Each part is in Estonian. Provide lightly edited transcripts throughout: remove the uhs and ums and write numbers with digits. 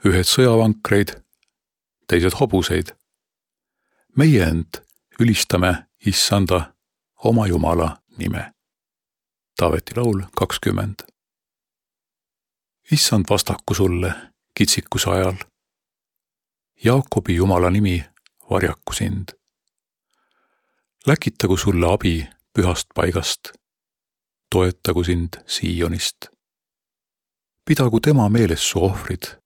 ühed sõjavankreid, teised hobuseid. Meie ent ülistame Issanda oma Jumala nime. Taaveti laul 20. Issand vastaku sulle kitsikuse ajal. Jaakobi Jumala nimi varjaku sind. Läkitagu sulle abi pühast paigast. Toetagu sind Siionist. Pidagu tema meeles su ohvrid.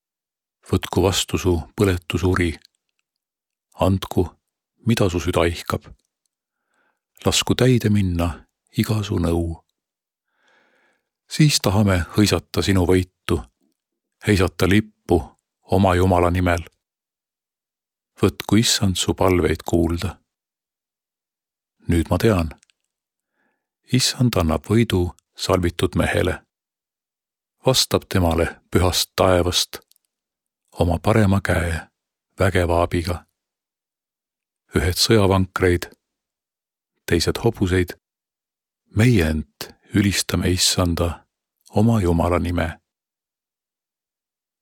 Võtku vastu su põletusuri. Andku, mida su süda ihkab. Lasku täide minna iga su nõu. Siis tahame hõisata sinu võitu, heisata lippu oma Jumala nimel. Võtku Issand su palveid kuulda. Nüüd ma tean, Issand annab võidu salvitud mehele. Vastab temale pühast taevast oma parema käe vägeva abiga. Ühed sõjavankreid, teised hobuseid, meie ent ülistame Issanda oma Jumala nime.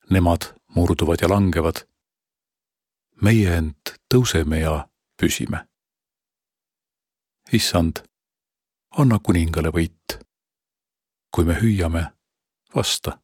Nemad murduvad ja langevad, meie ent tõuseme ja püsime. Issand, anna kuningale võit. Kui me hüüame, vasta.